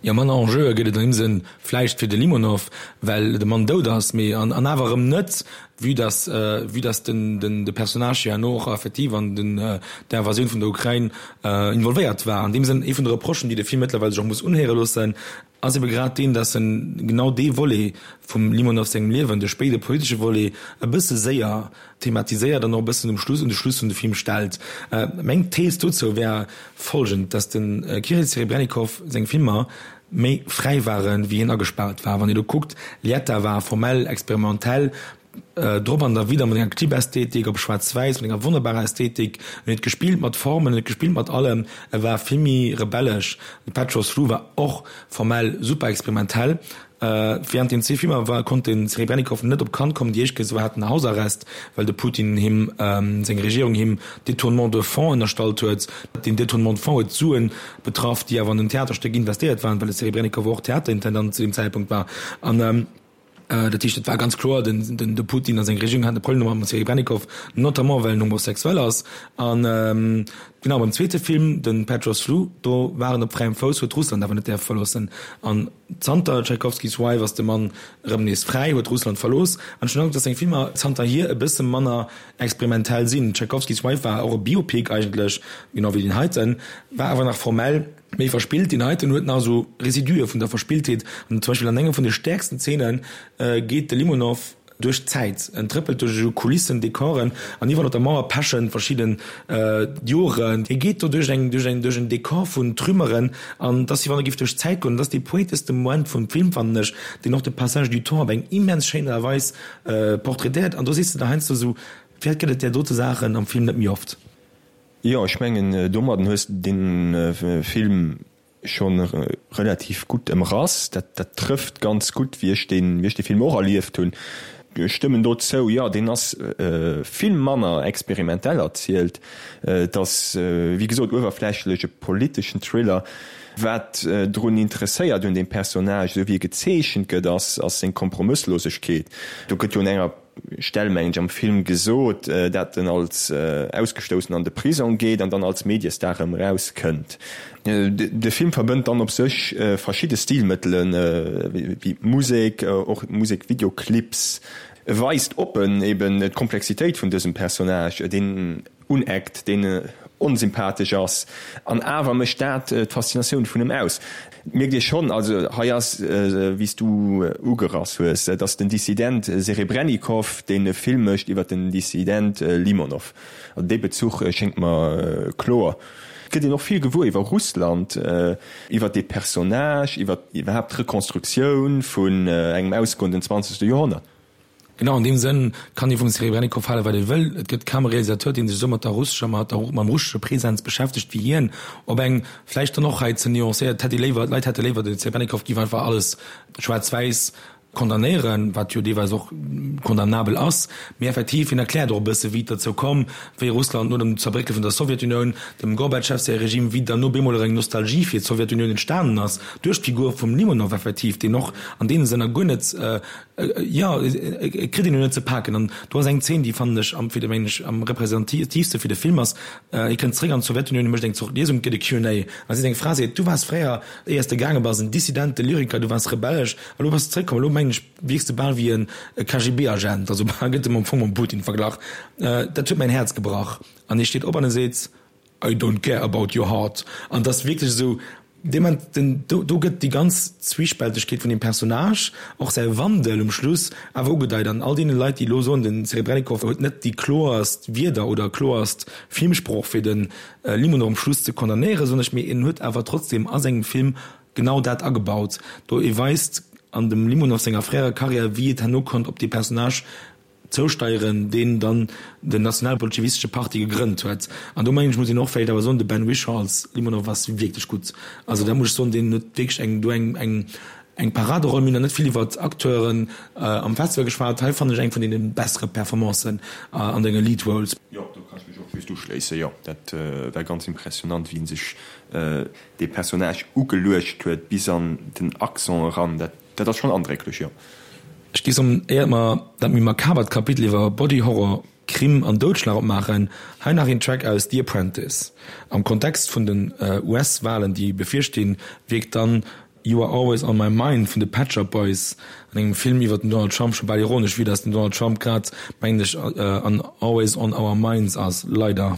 Jo, manner Enjeue gëtt et an deem Sënn vläicht fir de Limonov, well de Mann dout ass, mee an awer erëm net, Vue dass, vue dass den, den, de Personnage jo herno och effektiv an den, der Invasioun vun der Ukrain involvéiert war. An deem Sënn, ee vun de Reprochen, déi de Film mëttlerweil sech och muss unhéiere loossen, ass ebe grad deen, dass en genau dee Volet vum Limonov sengem Liewen, de spéide politesche Volet, e bësse séier thematiséiert an och e bëssen um Schluss, un de Schluss vun de Film stellt. Meng Thees dozou wär folgend, dass de Kirill Serebrennikov seng Filmer méi fräi waren, wéi hien agespaart war. Wann ee lo kuckt, Lietta war formell, experimentell, drop an derwidder mat enger Clip-Ästhetik op schwaarz-wäiss, mat enger wonnerbarer Ästhetik. En huet gespillt mat Formen, en huet gespillt mat allem, e war vill méi rebellesch. De Petros Flu war och formell super experimentell. Während den zwee Filmer war konnt de Serebrennikov net op Cannes kommen. Déi éischt Kéier hat en Hausarrest, well de Putin him, seng Regierung him Détournement de fonds ënnerstallt huet. Deen Détournement de fonds huet Suen betraff, déi awer an en Theaterstéck investéiert waren, well de Serebrennikov och Theaterintendant zu deem Zäitpunkt war. An dat heescht, et war ganz kloer, den de Putin a seng Regierung haten e Problem mam Serebrennikov, notamment well en homosexuell ass. An genau beim zweete Film, de Petros Flu, do war en op fräiem Fouss, huet Russland awer net däerfe verloossen. An zanter Tchaikovskys Wife ass de Mann erëm nees fräi, huet Russland verlooss. An ech hunn den Androck, datt seng Filmer zanterhier e bësse manner experimentell sinn. Tchaikovskys Wife war och e Biopic eigentlech, genau wéi deen heiten, war awer nach formell méi verspillt. Deen heiten huet nach esou Residue vun der Verspilltheet an zum Beispill an enger vun de stäerksten Zeene geet de Limonov duerch d'Zäit, en trëppelt duerch esou Kulissen, Dekoren an iwwerall op der Mauer pechen verschidden Joren. Hie geet do duerch eng, duerch eng, duerch en Dekor vun Trümmeren an et ass wéi wann e géif duerch d'Zäit goen. Et ass dee poeteschste Moment vum Film, fannen ech, deen och de Passage du temps op eng immens schéin Aart a Weis portraitéiert an do sees de der heiansdo esou, Firwat gëtt et där dote Saachen am Film net méi oft? Jo, ech mengen domadden hues de den Film schon relativ gutt emrass. Dat dat trëfft ganz gutt wéi ech deen wéi ech de Film och erlieft hunn. Ech stëmmen do zou, jo deen ass vill manner experimentell erzielt. Et ass wéi gesot uewerflächlech e politeschen Thriller. Wat drun interesséiert un deem Personnage, esou wéi e gezeechent gëtt, ass ass seng Kompromësslosegkeet. Do gëtt jo un enger Stell, mengen ech, am Film gesot, dat en als Ausgestoussen an de Prisong geet an dann als Mediestar erëm erauskënnt. De Film verbënnt dann op sech verschidde Stilmëttelen, wéi d'Musek, och Musekvideoclips. E weist oppen eben d'Komplexitéit vun dësem Personnage, deen uneckt, deen onsympathesch ass, an awer mécht dat d'Faszinatioun vun em aus. Et mierkt ee schonn, also hei ass, wéi s du ugerass hues, et ass den Dissident Serebrennikov, deen e Film mécht iwwer den Dissident Limonov. Also dee Bezuch schéngt mer kloer. Et gëtt een och vill gewuer iwwer Russland, iwwer dee Personnage, iwwer iwwerhaapt d'Rekonstruktioun vun engem ausgoenden zwanzegste Joerhonnert. Genau an deem Sënn kann ee vum Serebrennikov hale wat ee wëll, et gëtt kaum e Realisateur, dee sech esou mat der russescher, mat der, mam russesche Präsens beschäftegt wéi hien. Op eng vläicht dann och hei ze nuancéiert, hätt ee léiwer, d'Leit hätte léiwer, de Serebrennikov géif einfach alles schwaarz-wäiss condamnéieren, wat jo deelweis och condamnabel ass, mee effektiv, hien erkläert och e bësse wéi et derzou komm, wéi Russland no dem Zerbréckele vun der Sowjetunioun, dem Gorbatschew säi Regime, wéi dann no bemol ereng Nostalgie fir d'Sowjetunioun entstanen ass, duerch d'Figur vum Limonov effektiv, deen och an deene Sënner guer net, Jo, et kritt een jo net ze paken. An do ass eng Zeen, déi fannen ech am, fir de, mengen ech, am representatiivste fir de Film ass, Hie kënnt zréck an d'Sowjetunioun, hie mécht eng Zort Liesung, et gëtt e Q and A. An da seet eng Fra, seet, Du waars fréier, éier s de gaange bass, en Dissident, e Lyriker, du waars rebellesch, a lo bass de zréckkomm, elo mengen ech, wierks de bal wéi e KGB-Agent. Also bal gëtt e am Fong mam Putin verglach. Dat huet mäin Häerz gebrach. An hie steet op an e seet, I don't care about your heart. An et ass wierklech esou. Dee Moment, den, do, do gëtt déi ganz Zwiespältegkeet vun deem Personnage, och säi Wandel um Schluss awer ugedeit. An all deene Leit, déi elo soen, de Serebrennikov huet net déi kloerst Wierder oder kloerst Filmsprooch fir de Limonov um Schluss ze condamnéieren, soen ech, mee en huet awer trotzdem a sengem Film genau dat agebaut. Do e weist an dem Limonov senger fréierer Karriär, wéi et herno konnt op dee Personnage zousteieren, deen dann den nationalbolschewistesche Parti gegrënnt huet. An do mengen ech, muss een och vläicht awer soen, de Ben Whishaw als Limonov ass wierklech gutt. Also dat muss ech soen, deen huet wierklech eng do eng eng eng Paraderoll. Mir hunn nach net vill iwwert Acteuren am Festival geschwat. Hei fannen ech eng vun deene bessere Performancen an denge Lead Roles. Jo, do kann ech mech och just uschléissen. Jo, dat war ganz impressionant, wéi en sech dee Personnage ugeluecht huet, bis an den Accent eran. Dat Dat ass schon andrécklech, jo. Ech géif soen, éiert mer dat méi makabert Kapitel iwwer Body Horror, Krim an Doudschlag opmaachen, hei nach een Track aus The Apprentice. Am Kontext vun den US-Walen, déi bevirstinn, wierkt dann You Are Always On My Mind vun de Pet Shop Boys an engem Film iwwer den Donald Trump scho bal ironesch, vue dass den Donald Trump grad, mengen ech, an Always On Our Minds ass. Leider.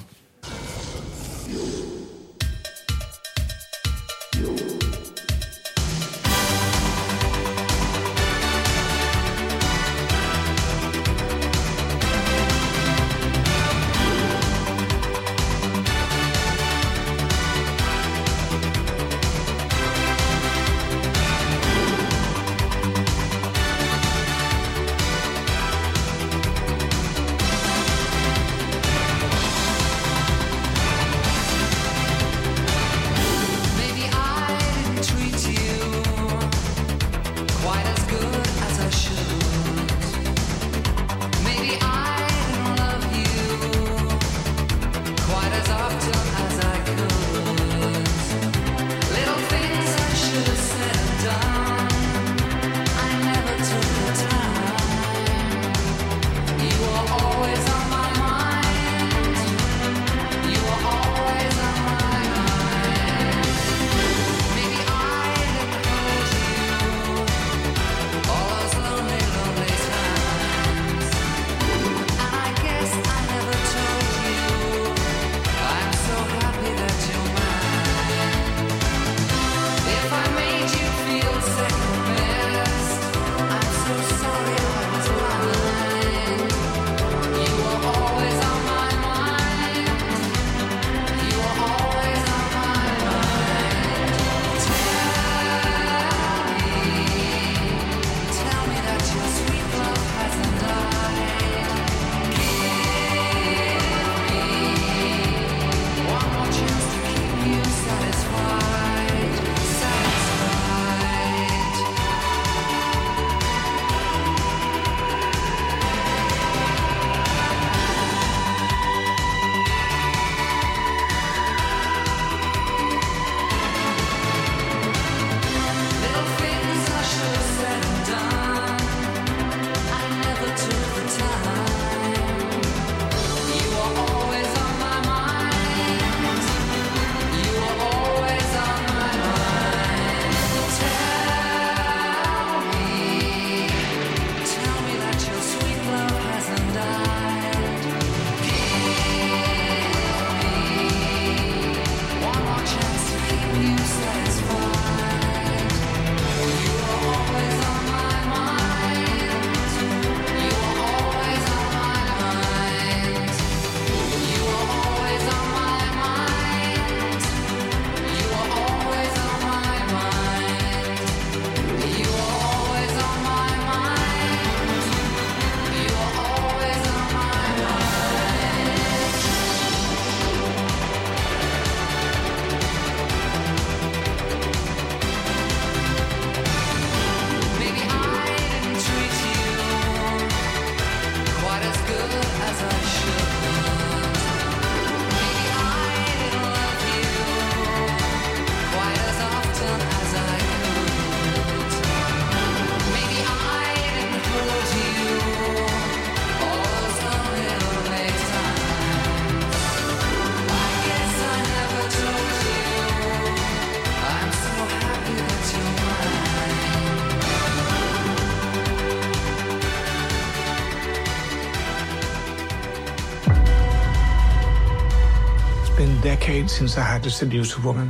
It's been decades since I had to seduce a woman.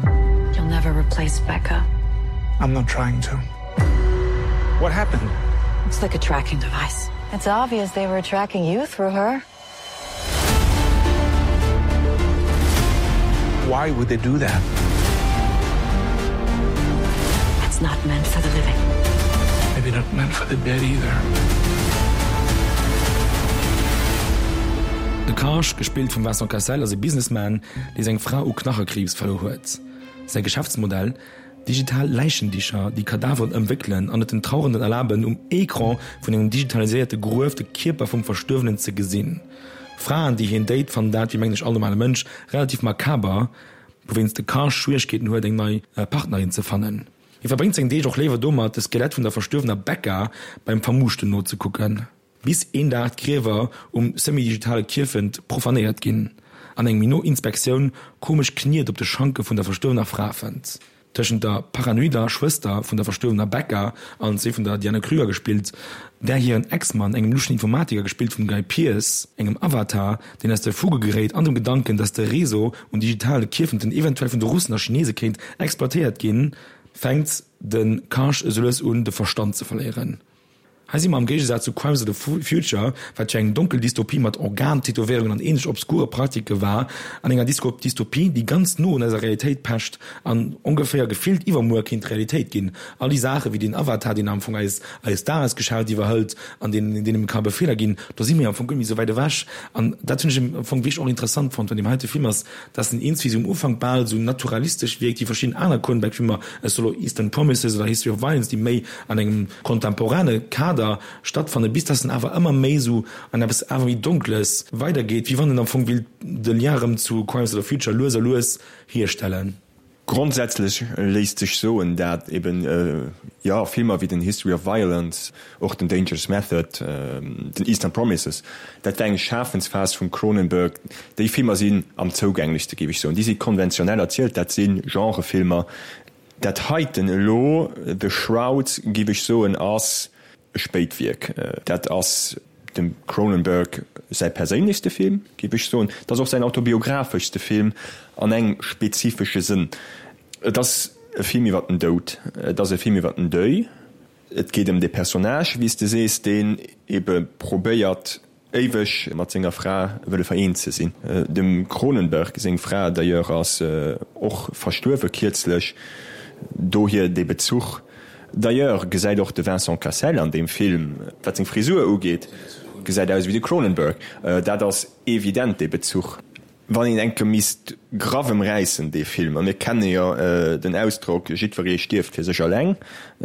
You'll never replace Becca. I'm not trying to. What happened? It's like a tracking device. It's obvious they were tracking you through her. Why would they do that? It's not meant for the living. Maybe not meant for the dead either. De Karsh, gespillt vum Vincent Cassel, ass e Businessman, dee seng Fra u Knachekriibs verluer huet. Säi Geschäftsmodell, Digital Läichendicher, déi Kadaveren ëmwéckelen an et den Trauernden erlaben, um Ecran vun engem digitaliséierte Gruef de Kierper vum Verstuerwenen ze gesinn. Fraen, déi hien date, fannen dat, wéi mengen ech all normale Mënsch, relativ makaber, wouwéinst de Karsh Schwieregkeeten huet, eng nei Partnerin ze fannen. Hie verbréngt seng Deeg och léiwer domat, de Skelett vun der verstuerwener Becca beim Vermuuschten nozekucken. Bis een Dag d'Griewer um semi-digitale Kierfent profanéiert ginn an eng méi no Inspektioun komesch Kniet op de Schanke vun der verstuerwener Fra fënnt. Tëschent der paranoider Schwëster vun der verstuerwener Becca, allen zwee vun der Diane Krüger gespillt, där hiren Ex-Mann, engem luschen Informatiker gespillt vum Guy Pearce, engem Avatar, deen aus der Fuge geréit an dem Gedanken, datt de Réseau un digitale Kierfenten eventuell vun de Russen a Chinese kéint exploitéiert ginn, fänkt de Karsh esou lues un, de Verstand ze verléieren. Hei si mer am Géigesaz zu Crimes of the Future, wat jo eng donkel Dystopie mat Organtätowéierungen an ähnlech obskure Praktike war, an enger Dystopie, déi ganz no un eiser Realitéit pecht an ongeféier gefillt iwwermuer kéint Realitéit ginn. All déi Saache wéi deen Avatar, deen am Fong eis eis Dagesgeschäft iwwerhëlt an deen deem ka Befeeler ginn, do si mir am Fong guer net méi esou wäit ewech. An dat hunn ech am Fong wierklech och interessant fonnt un deem heite Film ass, dass en iergendwéi esou um Ufank bal esou naturalistesch wierkt wéi verschidden aner Cronenberg-Filmer, ech soe lo Eastern Promises oder History of Violence, déi méi an engem kontemporane Kader stattfannen, bis dass en awer ëmmer méi esou an eppes awer méi Donkles weidergeet, wéi wann en am Fong willt de Lien erëm zu Crimes of the Future lues a lues hierstellen. Grondsätzlech léisst sech soen, dat eben, jo, Filmer wéi den History of Violence, och den Dangerous Method, den Eastern Promises, dat war eng Schafensphas vum Cronenberg. Déi Filmer sinn am zougänglechste, géif ech soen. Déi si konventionell erzielt, dat si Genrefilmer. Dat heiten elo, The Shroud, giff ech soen, ass e Spéitwierk. Dat ass dem Cronenberg säi perséinlechste Film, giff ech soen. Et ass och säin autobiographeschste Film an engem spezifesche Sënn. Et ass e Film iwwer den Doud, et ass e Film iwwer den Deuil. Et geet ëm dee Personnage, wéi s de sees, deen ebe probéiert, éiweg mat senger Fra wëlle vereent ze sinn. Dem Cronenberg seng Fra d'ailleurs ass och verstuerwe kierzlech, dohier dee Bezuch. D'ailleurs gesäit och de Vincent Cassel an deem Film, wat seng Frisur ugeet, gesäit aus ewéi de Cronenberg. Dat ass evident dee Bezuch. Wann een enke misst graff emräissen, dee Film, a mir kenne jo den Ausdrock, jiddweree stierft fir sech alleng,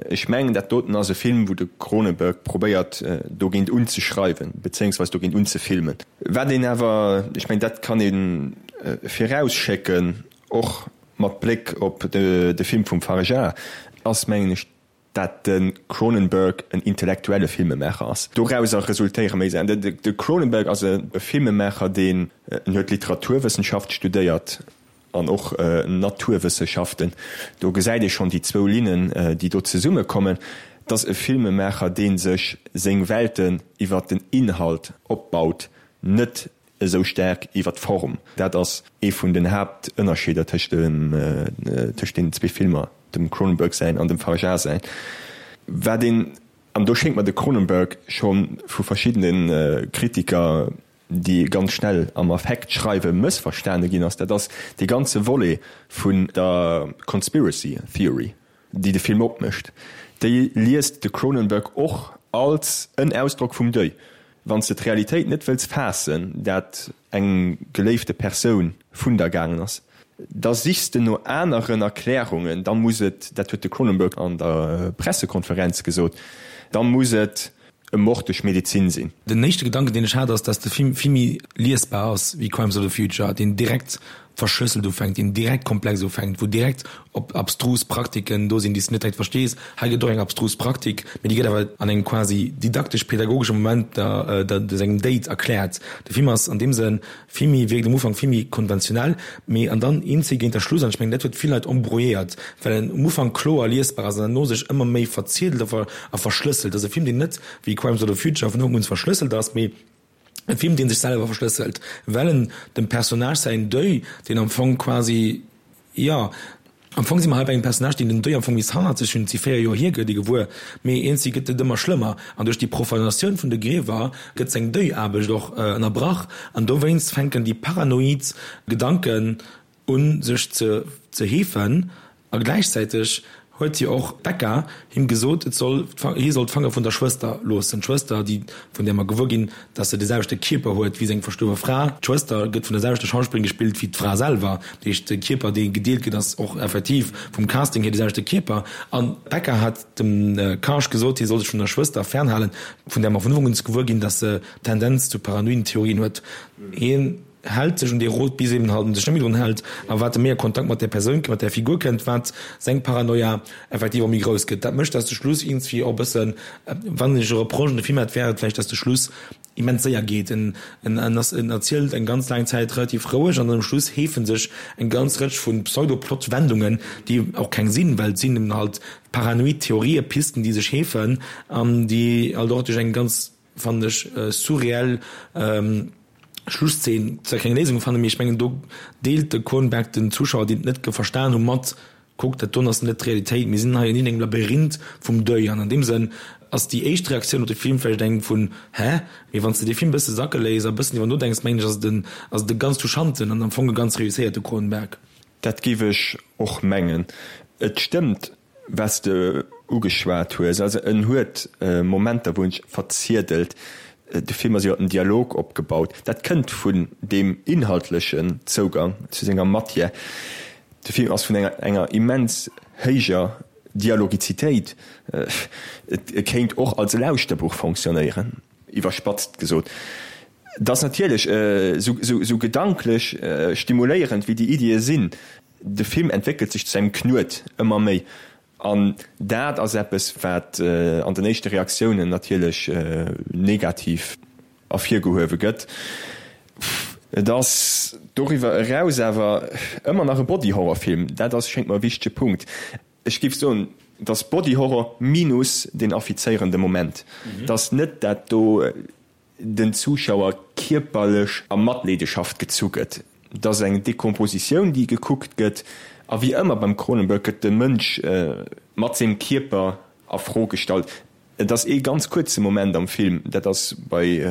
ech mengen, dat doten ass e Film, wou de Cronenberg probéiert, dogéint unzeschreiwen, bezéiungsweis dogéint unzefilmen. Wat een awer, ech mengen, dat kann ee virausschécken, och mat Bléck op de Film vum Fargeat, ass, mengen ech, dat de Cronenberg en intellektuelle Filmemaacher ass. Dorauser resultéiere méi Saachen. De Cronenberg ass e Filmemaacher, deen, en huet Literaturwëssenschaft studéiert an och Naturwësseschaften, do gesäit ee schonn déi zwou Linnen, déi do zesummekommen. Et ass e Filmemaacher, dee sech seng Welten iwwer den Inhalt opbaut, net esou staark iwwer d'Form. Dat ass ee vun den Haaptënnerscheeder tëscht tëscht deenen zwee Filmer, dem Cronenberg säin an dem Fargeat säin. Wat een, an do schéngt mer de Cronenberg scho vu verschiddene Kritiker, déi ganz schnell am Affekt schreiwen, mëssverstane ginn ass, dat ass dee ganze Volet vun der Conspiracy Theory. déi de Film opmécht, déi liest de Cronenberg och als en Ausdrock vum Deuil. Wann s de d'Realitéit net wëlls faassen, dat eng geléifte Persoun vun der gaangen ass, da sichs de no aneren Erklärungen, da muss et, dat huet de Cronenberg an der Pressekonferenz gesot, da muss et e Mord duerch Medezin sinn. Den éischte Gedanken, deen ech hat, ass, dass de Film vill méi liesbar ass wéi Crimes of the Future, deen direkt verschlësselt ufänkt, deen direkt komplex ufänkt, wou direkt op abstrus Praktiken do sinn, déi s de net direkt verstees. Hei gëtt och eng abstrus Praktik, mee déi gëtt awer an engem quasi didaktesch-pedagogesche Moment der, der, sengem Date erkläert. De Film ass an deem Sënn vill méi, wierkt um Ufank vill méi konventionell, mee an dann eenzel géint der Schluss, an ech mengen dat huet vill Leit embrouilléiert, well en um Ufank kloer liesbar ass an herno sech ëmmer méi verziedelt a a verschlësselt. Ass e Film deen net wéi Crimes of the Future vun Ufank un verschlësselt ass, mee e Film deen sech selwer verschlësselt, well en dem Personnage säin Deuil, deen am Fong quasi, jo. Am Fong si mer hei bei engem Personnage, deen den Deuil am Fong bis hannert sech hunn, et si 4 Joer hier, gëtt ee gewuer, mee iergendwéi gëtt et ëmmer schlëmmer an duerch déi Profanatioun vun de Griewer gëtt seng Deuilaarbecht och ënnerbrach an dowéinst fänken déi paranoid Gedanken un sech ze ze heefen a gläichzäiteg huet jo och d'Becca him gesot, et soll hie soll d'Fanger vun der Schwëster loossen, d'Schwëster déi vun där mer gewuer ginn, dass se de selwechte Kierper huet wéi seng verstuerwe Fra. D'Schwëster gëtt vun der selwechter Schauspillerin gespillt wéi d'Fra selwer, dat heescht de Kierper dee gedeelt gëtt ass och effektiv vum Casting hier de selwechte Kierper. An d'Becca hat dem Karsh gesot, hie soll sech vun der Schwëster fernhalen, vun där mer vun Ufank un gewuer ginn, dass se Tendenz zu paranoiden Theorien huet. Hien. Hält sech un dee Rot, bis eben halt en sech net méi drun hält, a wat e méi a Kontakt mat där Persoun, mat där Figur kënnt, wat seng Paranoia effektiv och méi grouss gëtt. Dat mécht, dass de Schluss iergendswéi och e bëssen, wann ech e Reproche un de Film hätt, wär et vläicht, dass de Schluss immens séier geet. En, en, en ass, en erzielt eng ganz laang Zäit relativ roueg an dann um Schluss heefe sech eng ganz Rëtsch vu Pseudo-Plot-Wendungen, déi och keng sinn, well et sinn eben halt paranoid Theorië, Pisten, déi sech heefen an déi halt och duerch eng ganz, fannen ech, surreell Schlusszeen zwar keng Léisung fannen, mee ech mengen do deelt de Cronenberg den Zuschauer, déi et net verstan hu mat, kuckt dat doen ass net d'Realitéit, mir sinn hei an engem Labyrinth vum Deuil. An an deem Sënn ass déi éischt Reaktioun op de Film vläicht eng vun hä? Mee wann s de dee Film e bësse sacke léiss a e bëssen driwwer nodenks, mengen ech ass et en ass et e ganz touchanten an am Fong e ganz reusséierte Cronenberg. Dat géif ech och mengen. Et stëmmt, Wat s de ugeschwat hues, also en huet Momenter, wou en sech verziedelt. De Film ass iwwer den Dialog opgebaut. Dat kënnt vun deem inhaltlechen Zougang zu senger Matière. De Film ass vun enger enger immens héijer Dialogizitéit. Et kéint och als Lauschterbuch fonctionnéieren, iwwerspatzt gesot. Et ass natierlech esou gedanklech stimuléierend wéi déi Iddie sinn, De Film entwéckelt sech zu engem Knuet, ëmmer méi. An dat ass eppes, wat an den éischte Reaktiounen natierlech negativ ervirgehuewe gëtt. Et ass doriwwer eraus awer ëmmer nach e Body-Horror-Film. Dat ass, schéngt mer, e wichtege Punkt. Ech géif soen, et ass Body-Horror minus deen affizéierende Moment. Et ass net dat do. den Zuschauer kierperlech a Matleedeschaft gezu gëtt. Et ass eng Dekompositioun, déi gekuckt gëtt, a wéi ëmmer beim Cronenberg gëtt de Mënsch mat sengem Kierper a Fro gestallt. Et ass ee ganz kuerze Moment am Film, dat ass bei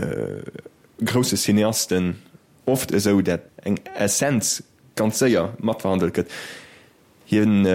grousse Cineasten oft esou, dat eng Essenz ganz séier matverhandelt gëtt. Hien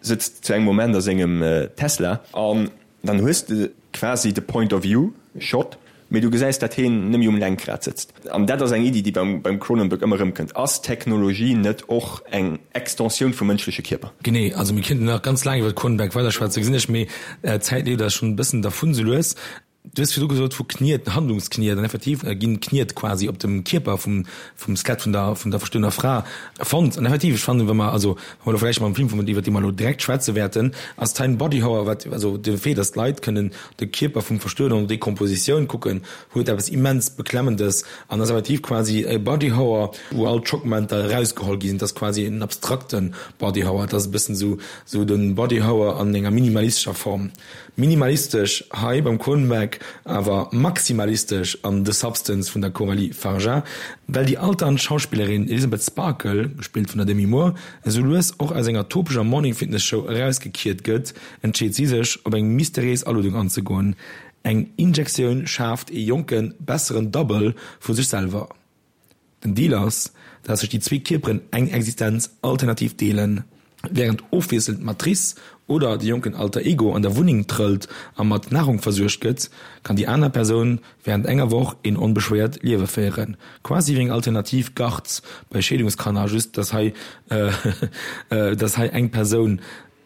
sëtzt zu engem Moment a sengem Tesla an dann hues de quasi de Point of View Shot, mee du gesäis dat heen nëmme um Lenkrad sëtzt. An dat ass eng Iddi déi beim Cronenberg ëmmer erëmkënnt, ass Technologie net och eng Extensioun vum mënschleche Kierper? Genee, also mir kéinten nach ganz laang iwwer Cronenberg weiderschwätzen, gesinn ech, mee d'Zäit leeft eis schonn e bëssen dervun sou lues. Du hues virdu gesot vu Kniet, Handlungskniet, an effektiv ginn Kniet quasi op dem Kierper vum vum Skelett vun der vun der verstuerwener Fra fonnt. An effektiv, ech fannen, wa mer also wa mer elo vläicht mam Film vum iwwer dee mer elo direkt schwätze wäerten, ass d'Heim Body Horror, wat also de Fait, datt d'Leit kënnen de Kierper vum Verstuerwenen an der Dekompositioun kucken, huet eppes immens Beklemmendes an ass effektiv quasi e Body Horror, wou all d'Schockmomenter erausgeholl gi sinn. Et ass quasi en abstrakte Body Horror. Et ass e bëssen esou esou de Body Horror an enger minimalistescher Form. Minimalistesch hei beim Cronenberg, awer maximalistesch an The Substance vun der Coralie Fargeat, well déi alternd Schauspillerin Elizabeth Sparkle, gespillt vun der Demi Moore, esou lues och aus enger topescher Morning-Fitness-Show erausgekiert gëtt, entscheet si sech, op eng mysteriéis Aluedung anzegoen. Eng Injektioun schaaft ee jonken, besseren Double vu sech selwer. Den Deal ass, dat sech déi zwee Kierperen eng Existenz alternativ deelen. Wärend ofwiesselnd d'Matrice oder de jonken Alter Ego an der Wunneng trëllt a mat Nahrung versuergt gëtt, kann déi aner Persoun wärend enger Woch een onbeschwéiert Liewe féieren. Quasi wéi eng alternativ Garde bei Scheedungskanner, just dass hei dass hei eng Persoun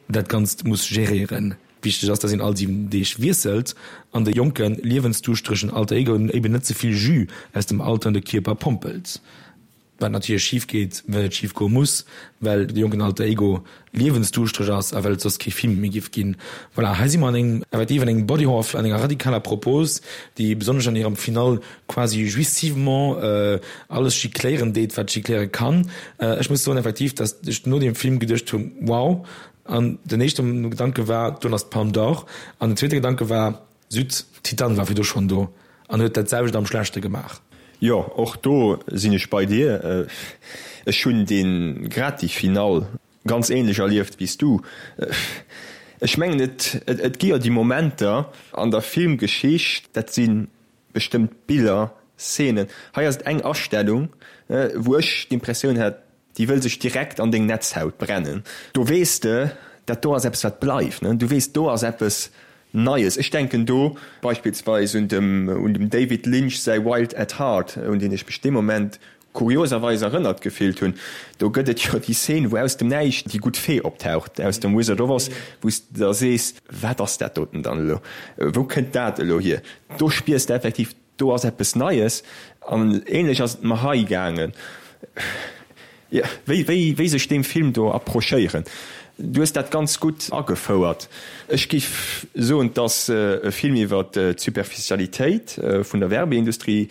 dat Ganzt muss geréieren. Wichteg ass, dass een all 7 Deeg wiesselt an de jonken, liewensduuschteregen Alter Ego eben net ze vill Jus aus dem alternde Kierper pompelt. Wat natierlech schif geet, well et schif goe muss, well de jonken Alter Ego liewensduuschtereg ass a well et soss kee Film méi giff ginn. Voilà, hei si mer an engem, effektiv an engem Body Horror, an enger radikaler Propos, déi besonnesch an hirem Finale quasi jouissivement alles gicléieren deet, wat gicléiere kann. Ech muss soen effektiv, dass ech no deem Film geduecht hunn, wow, An den éischte Gedanke war, do ass d'Palme d'Or. An den zweete Gedanke war, Süd, Titane war virdu schonn do an huet dat selwecht am Schlechte gemaach. Jo, och do sinn ech bei dir. Ech hunn dee grad déi Finall. Ganz ähnlech erlieft wéi s du. Ech mengen et et gi jo déi Momenter an der Filmgeschicht, dat si bestëmmt Biller, Szenen. Hei ass et eng Astellung, wou ech d'Impressioun hat, déi wëll sech direkt an deng Netzhaut brennen. Do weess de, dat do ass eppes wat bleift. Du weess, do ass eppes Neies. Ech denken do beispillsweis un dem un dem David Lynch säi Wild at Heart, un deen ech mech dee Moment kurioserweis erënnert gefillt hunn. Do gëtt et jo déi Szene, wou aus dem Näischt déi gutt Fee optaucht aus dem Wizard of Oz, wou s de da sees, Wat ass dat doten dann elo? Wou kënnt dat elo hier? Do spiers de effektiv, do ass eppes Neies. An ähnlech ass et mer hei gaangen. Jo, wéi, wéi, wéi sech deem Film do approchéieren. Du hues dat ganz gutt agefouert. Ech giff soen, 't ass e Film iwwer d'Superficialitéit vun der Werbeindustrie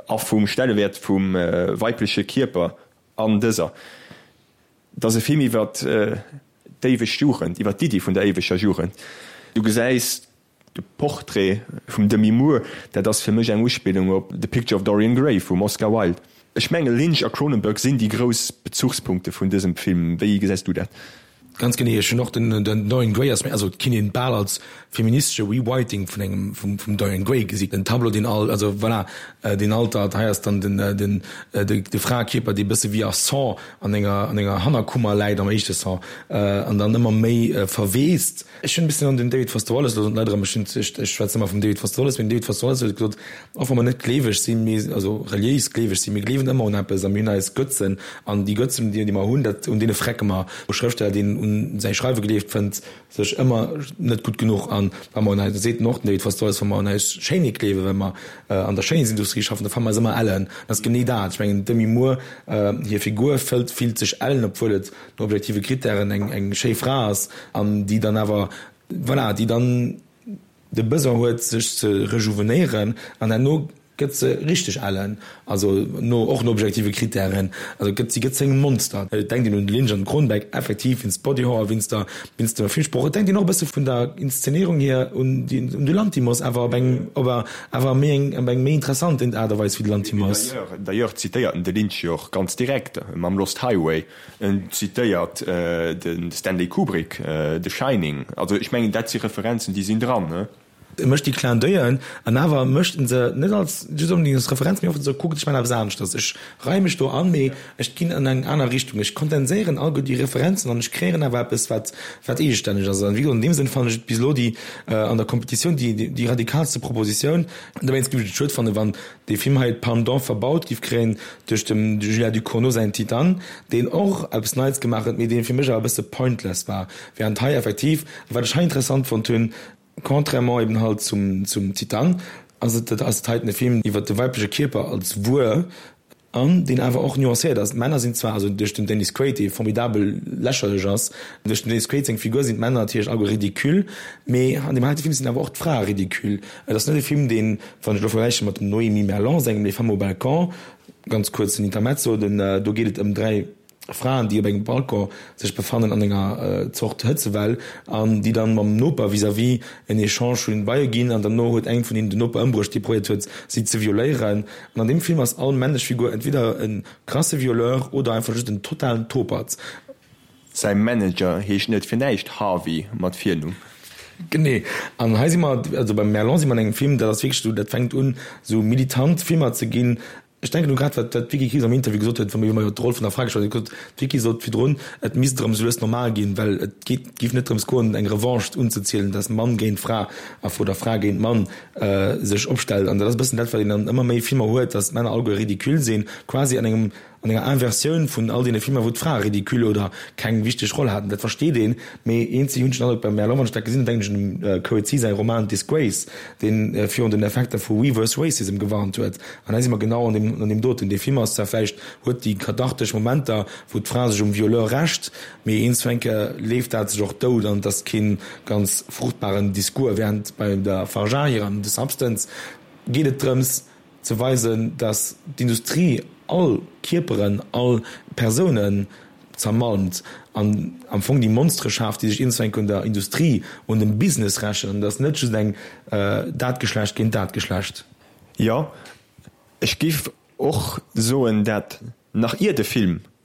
a vum Stellewäert vum weibleche Kierper an dëser. 't ass e Film iwwer d'éiweg Jugend, iwwer d'Iddi vun der éiweger Jugend. Du gesäis De Portrait vum Demi Moore, dat ass fir mech eng Uspillung op The Picture of Dorian Gray vum Oscar Wilde. Ech menge Lynch a Cronenberg sinn déi grouss Bezuchspunkte vun dësem Film. Wéi gesäis du dat? Ganz genee, ech hunn och den Dorian Gray ass mir, also et kinnt een bal als feministesche Rewriting vun engem vum Dorian Gray gesinn, den Tableau deen al, also voilà, deen altert, hei ass dann den den de Fraekierper dee bësse wéi a Saw an enger an enger Hannerkummer läit am éischte Saw an dann ëmmer méi verweest. Ech hunn e bëssen an den David Foster Wallace, elo soen d'Leit erëm, ech hunn, ech schwätzen ëmmer vum David Foster Wallace, mee den David Foster Wallace huet gesot, och wa mer net gleeweg sinn, mee also reliéis gleeweg sinn, mir gleewen ëmmer un eppes a mir hunn eis Götzen an déi Götzen, déi mer hunn, dat, un deene vrecke mer. E Schrëftsteller, deen un säi Schreiwe gleeft, fënnt sech ëmmer net gutt genuch an wa mer un eis, dat seet en och, den David Foster Wallace, wa mer un eis Schéinheet gleewen, well mer an der Schéinheetsindustrie schaffen, da fanne mer eis ëmmer ellen. Dat ass genee dat. Ech mengen, d'Demi Moore, hir Figur fëllt, fillt sech ellen, obwuel et no objektive Krittären eng eng schéi Fra ass an déi dann awer, voilà, déi dann de Besoin huet sech ze rejouvenéieren an herno gëtt se richteg ellen, also no och no objektive Krittären, also gëtt si gëtt zu engem Monster. Et denkt een un de Lynch an de Cronenberg effektiv wéinst Body Horror, wéinst der wéinst dem Filmsproch. Et denkt een och e bësse vun der Inszenéierung hier un déi un de Lanthimos, awer op eng op awer méi eng op eng méi interessant Aart a Weis wéi de Lanthimos. D'ailleurs zitéiert en de Lynch jo och ganz direkt mam Lost Highway. En zitéiert de Stanley Kubrick, The Shining. Also ech mengen, dat si Referenzen, déi sinn dran, ne? E mécht déi Clin d'oeillen an awer mécht en se net als just onbedéngt als Referenz, mee oft esou, kuckt, ech maachen eppes aneschters, ech reie mech do an, mee ech ginn an eng aner Richtung, ech kondenséieren alleguer déi Referenzen an ech kreéieren awer eppes, wat wat eegestänneg ass. An wéi gesot, an deem Sënn fannen ech et bis elo déi an der Kompetitioun déi déi radikalste Propositioun. Dowéinst géif ech et schued fannen, wann dee Film hei d'Palme d'Or verbaut giff kréien duerch dem Julien Ducournau säin Titane, deen och eppes Neits gemaach huet, mee deen fir mech awer e bësse pointless war, während hei effektiv, a wat ech hei interessant fonnt hunn, contrairement eben halt zum zum Titane, ass et ass et heiten e Film iwwert de weibleche Kierper als Wuer, an deen awer och nuancéiert ass. D'Männer sinn zwar, also duerch den Dennis Quaid, dee formidabel lächerlech ass, duerch den Dennis Quaid seng Figur sinn d'Männer natierlech alleguer ridicule, mee an deem heite Film sinn awer och d'Frae ridicule. Et ass net e Film, deen, wann ech elo vergläiche mat dem Noémie Merlant sengem Les femmes au balcon, ganz kuerz den Intermezzo, den, do geet et ëm 3 Fraen, déi op engem Balcon sech befannen an enger Zort Hëtzewell an déi dann mam Noper vis-à-vis en Echange hunn beie ginn an derno huet eng vun hinnen den Noper ëmbruecht, dee probéiert huet, si ze violéieren. An an deem Film ass all männlech Figur entweder e krasse Violeur oder einfach just en totalen Topert. Säi Manager heescht net fir näischt Harvey mat Virnumm. Genee. An hei si mer, also beim Merlon si mer an engem Film, dat ass wierklech esou, dat fänkt un esou militant Filmer ze ginn. Ech denken u grad wat d'Vicky Krieps am Interview gesot huet, wa mir iwwer d'Roll vun der Fra geschwat hunn. Huet gesot, d'Vicky sot virdrun, et misst erëm esou lues normal ginn, well et geet, géif net drëms goen, eng Revanche unzezielen, dass Mann géint Fra a oder Fra géint Mann sech opstellt. An dat ass e bëssen dat, wat een an ëmmer méi Filmer huet, dass d'Männer alleguer ridicule sinn, quasi an engem An enger Inversioun vun all deene Filmer, wou d'Frae ridicule oder keng wichteg Roll haten. Dat versteet een, mee eenzeg hunn ech den Androck beim Merlot, wann ech dat gesinn hunn, denken ech un dem Coetzee säi Roman Disgrace, dee virun den Effekter vu Reverse Racism gewarnt huet. An hei si mer genau an deem, an deem doten. Dee Film ass zwar vläicht, huet déi kathartesch Momenter, wou d'Fra sech um Violeur rächt, mee eens eng Kéier leeft dat sech och dout an et ass kee ganz fruchtbaren Discours. Während bei der Fargeat hirem The Substance geet et drëms, ze weisen, dass d'Industrie all Kierperen, all Persounen zermalmt an am Fong déi Monstere schaaft, déi sech iergendwann un der Industrie, un dem Business rächen. An et ass net just eng dat Geschlecht géint dat Geschlecht. Jo, ech giff och soen, dat nach ier de Film.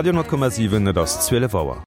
Radio 10,7, et ass 12 Auer.